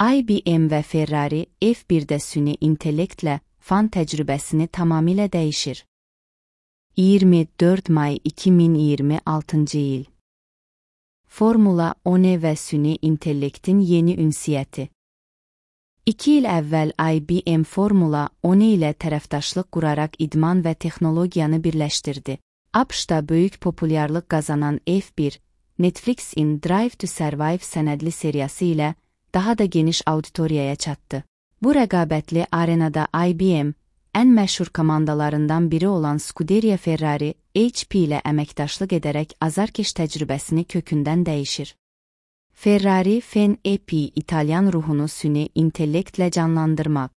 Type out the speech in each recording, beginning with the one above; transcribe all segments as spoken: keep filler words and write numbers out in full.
I B M və Ferrari F birdə süni intellektlə fan təcrübəsini tamamilə dəyişir. iyirmi dörd may iki min iyirmi altıncı il. Formula One və süni intellektin yeni ünsiyyəti. İki il əvvəl I B M Formula One ilə tərəfdaşlıq quraraq idman və texnologiyanı birləşdirdi. ABŞ-da böyük populyarlıq qazanan F bir, Netflix-in Drive to Survive sənədli seriyası ilə daha da geniş auditoriyaya çatdı. Bu rəqabətli arenada I B M, ən məşhur komandalarından biri olan Scuderia Ferrari H P ilə əməkdaşlıq edərək azarkeş təcrübəsini kökündən dəyişir. Ferrari Fan E P İtalyan ruhunu süni intellektlə canlandırmaq.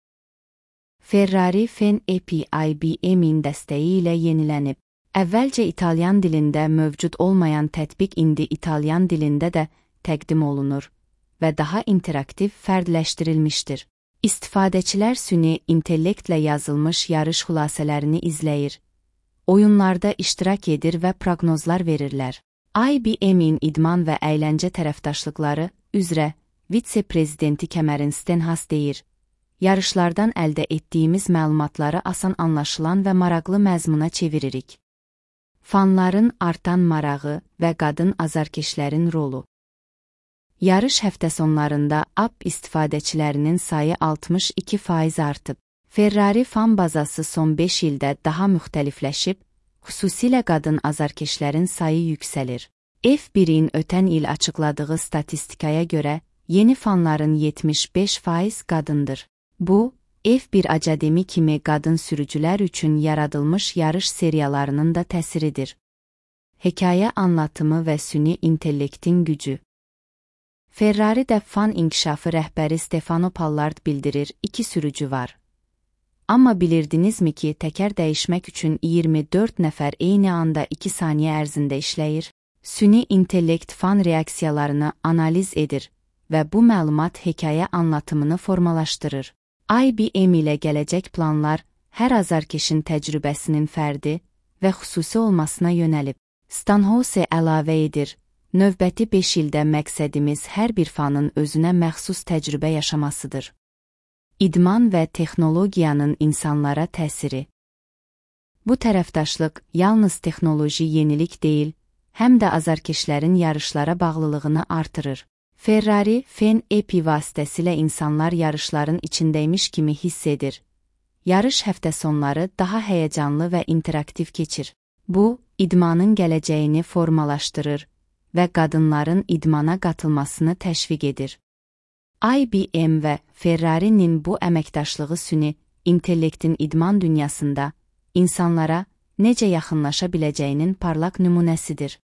Ferrari Fan E P I B M-in dəstəyi ilə yenilənib. Əvvəlcə İtalyan dilində mövcud olmayan tətbiq indi İtalyan dilində də təqdim olunur və daha interaktiv fərdləşdirilmişdir. İstifadəçilər süni intellektlə yazılmış yarış xülasələrini izləyir, oyunlarda iştirak edir və proqnozlar verirlər. I B M-in idman və əyləncə tərəfdaşlıqları üzrə vitse-prezidenti Cameron Stenhouse deyir: yarışlardan əldə etdiyimiz məlumatları asan anlaşılan və maraqlı məzmuna çeviririk. Fanların artan marağı və qadın azarkeşlərin rolu. Yarış həftə sonlarında app istifadəçilərinin sayı altmış iki faiz artıb. Ferrari fan bazası son beş ildə daha müxtəlifləşib, xüsusilə qadın azarkeşlərin sayı yüksəlir. F birin ötən il açıqladığı statistikaya görə, yeni fanların yetmiş beş faiz qadındır. Bu, F bir academi kimi qadın sürücülər üçün yaradılmış yarış seriyalarının da təsiridir. Hekayə anlatımı və süni intellektin gücü. Ferrari'də fan inkişafı rəhbəri Stefano Pollard bildirir, iki sürücü var. Amma bilirdinizmi ki, təkər dəyişmək üçün iyirmi dörd nəfər eyni anda iki saniyə ərzində işləyir? Süni intellekt fan reaksiyalarını analiz edir və bu məlumat hekayə anlatımını formalaşdırır. I B M ilə gələcək planlar hər azarkeşin təcrübəsinin fərdi və xüsusi olmasına yönəlib. Stenhouse əlavə edir: növbəti beş ildə məqsədimiz hər bir fanın özünə məxsus təcrübə yaşamasıdır. İdman və texnologiyanın insanlara təsiri. Bu tərəfdaşlıq yalnız texnoloji yenilik deyil, həm də azarkeşlərin yarışlara bağlılığını artırır. Ferrari Fan E P vasitəsilə insanlar yarışların içindəymiş kimi hiss edir. Yarış həftə sonları daha həyəcanlı və interaktiv keçir. Bu, idmanın gələcəyini formalaşdırır və qadınların idmana qatılmasını təşviq edir. I B M və Ferrari'nin bu əməkdaşlığı süni intellektin idman dünyasında insanlara necə yaxınlaşa biləcəyinin parlaq nümunəsidir.